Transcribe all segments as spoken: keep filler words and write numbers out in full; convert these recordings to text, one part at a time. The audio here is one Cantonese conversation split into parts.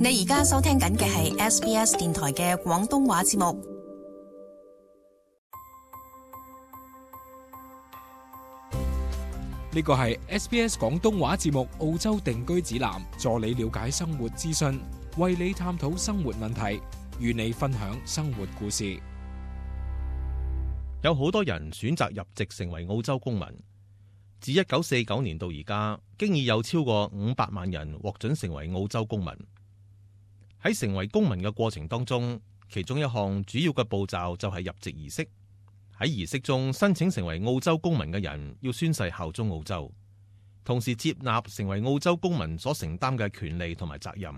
你而家收聽緊嘅係 S B S 電台嘅廣東話節目。呢個係 S B S 廣東話節目澳洲定居指南，助你了解生活資訊，為你探討生活問題，與你分享生活故事。有好多人選擇入籍成為澳洲公民。自一九四九年到而家，經已有超過五百萬人獲准成為澳洲公民。喺成為公民嘅過程當中，其中一項主要嘅步驟就係入籍儀式。喺儀式中，申請成為澳洲公民嘅人要宣誓效忠澳洲，同時接納成為澳洲公民所承擔嘅權利同埋責任。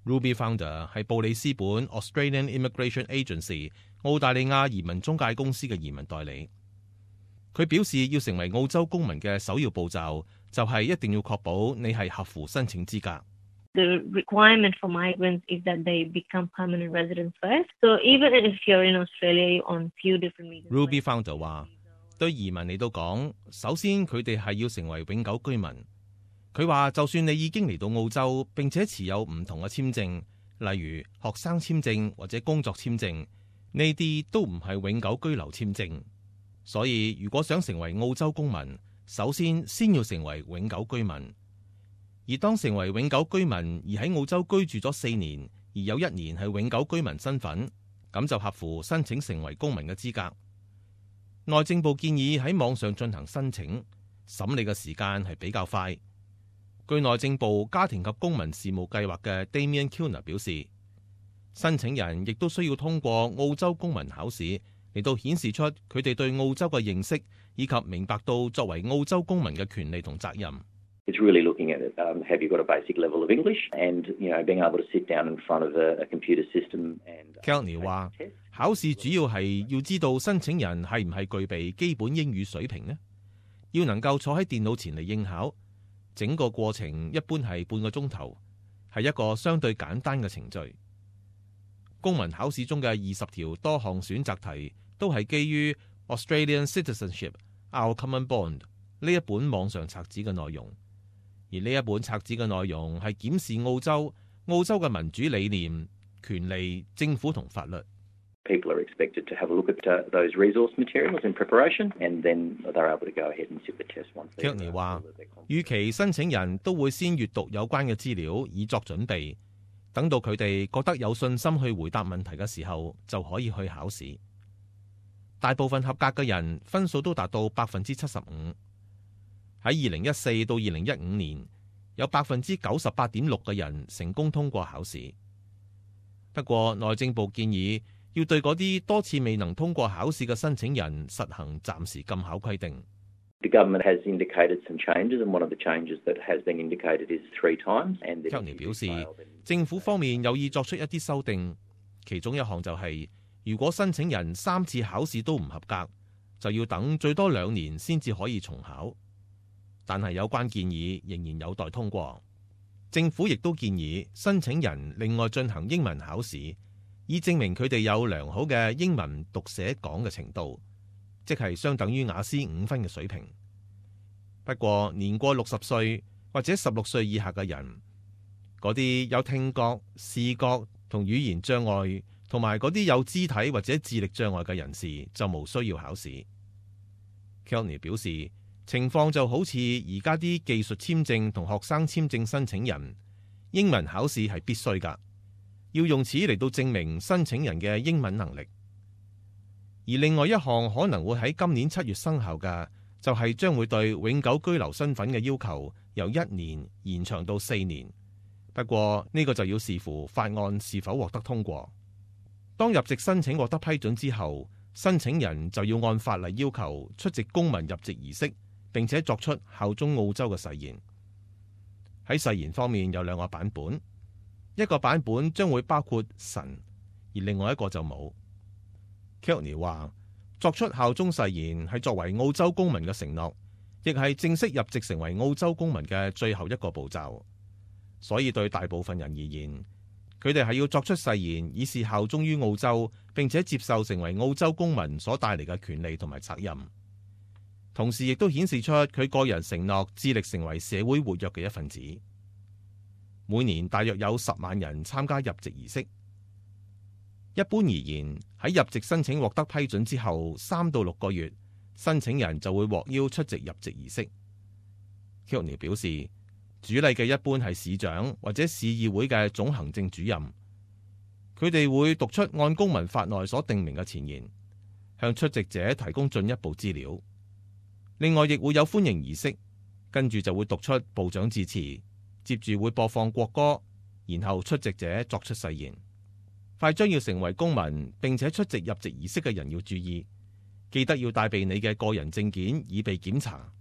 Ruby Founder 係布里斯本 Australian Immigration Agency 澳大利亞移民中介公司嘅移民代理。佢表示，要成為澳洲公民嘅首要步驟就係一定要確保你係合乎申請資格。The requirement for migrants is that they become permanent residents first. So even if you're in Australia on few different visas. Ruby Founder 話，對移民嚟到講，首先佢哋係要成為永久居民。佢話，就算你已經嚟到澳洲並且持有唔同嘅簽證，例如學生簽證或者工作簽證，呢啲都唔係永久居留簽證。所以如果想成為澳洲公民，首先先要成為永久居民。而當成為永久居民而喺澳洲居住咗四年，而有一年係永久居民身份，咁就合乎申請成為公民嘅資格。內政部建議喺網上進行申請，審理嘅時間係比較快。據內政部家庭及公民事務計劃嘅 Damien Kilner 表示，申請人亦都需要通過澳洲公民考試嚟到顯示出佢哋對澳洲嘅認識，以及明白到作為澳洲公民嘅權利同責任。It's really looking at it. Um, have you got a basic level of English, and you know, being able to sit down in front of a, a computer system and. Kelly 話，考試主要係要知道申請人係唔係具備基本英語水平呢？要能夠坐喺電腦前嚟應考，整個過程一般係半個鐘頭，係一個相對簡單嘅程序。公民考試中嘅二十條多項選擇題都係基於 Australian Citizenship Our Common Bond 呢一本網上冊子嘅內容。而呢一本冊子嘅內容係檢視澳洲、澳洲嘅民主理念、權利、政府同法律。People are expected to have a look at those resource materials in preparation, and then they're able to go ahead and sit the test once. Kelly 話，預期申請人都會先閱讀有關嘅資料以作準備，等到佢哋覺得有信心去回答問題嘅時候，就可以去考試。大部分合格嘅人分數都達到百分之七十五。喺二零一四到二零一五年，有百分之九十八點六嘅人成功通過考試。不過，內政部建議要對嗰啲多次未能通過考試嘅申請人實行暫時禁考規定。The government has indicated some changes, and one of the changes that has been indicated is three times. And Kelly 表示，政府方面有意作出一啲修訂，其中一項就係、是，如果申請人三次考試都唔合格，就要等最多兩年先至可以重考。但係有關建議仍然有待通過。政府亦都建議申請人另外進行英文考試，以證明佢哋有良好嘅英文讀寫講嘅程度，即係相等於雅思五分嘅水平。不過年過六十歲或者十六歲以下嘅人，嗰啲有聽覺、視覺同語言障礙，同埋嗰啲有肢體或者智力障礙嘅人士就無需要考試。Kelly 表示，情況就好似而家啲技術簽證同學生簽證申請人，英文考試係必須㗎，要用此嚟到證明申請人嘅英文能力。而另外一項可能會喺今年七月生效嘅，就係將會對永久居留身份嘅要求由一年延長到四年。不過呢個就要視乎法案是否獲得通過。當入籍申請獲得批准之後，申請人就要按法例要求出席公民入籍儀式，並且作出效忠澳洲嘅誓言。喺誓言方面有兩個版本，一個版本將會包括神，而另外一個就冇。Kelly 話，作出效忠誓言係作為澳洲公民嘅承諾，亦係正式入籍成為澳洲公民嘅最後一個步驟。所以對大部分人而言，佢哋係要作出誓言，以示效忠於澳洲，並且接受成為澳洲公民所帶嚟嘅權利同埋責任。同時亦都顯示出佢個人承諾致力成為社會活躍嘅一份子。每年大約有十萬人參加入籍儀式。一般而言，喺入籍申請獲得批准之後，三到六個月，申請人就會獲邀出席入籍儀式。Kilney 表示，主禮嘅一般係市長或者市議會嘅總行政主任，佢哋會讀出按公民法內所訂明嘅前言，向出席者提供進一步資料。另外，亦會有歡迎儀式，跟住就會讀出部長致辭，接住會播放國歌，然後出席者作出誓言。快將要成為公民並且出席入籍儀式嘅人要注意，記得要帶備你嘅個人證件以備檢查。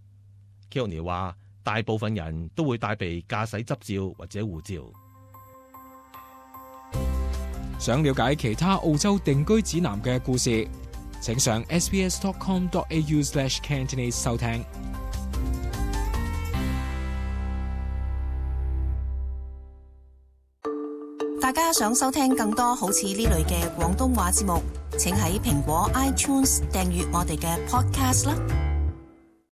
Kilney 話，大部分人都會帶備駕駛執照或者護照。想了解其他澳洲定居指南嘅故事，請上 s b s dot com dot a u slash cantonese 收聽。大家想收聽更多好似呢類嘅廣東話節目，請喺蘋果 iTunes 訂閱我哋嘅 podcast 啦。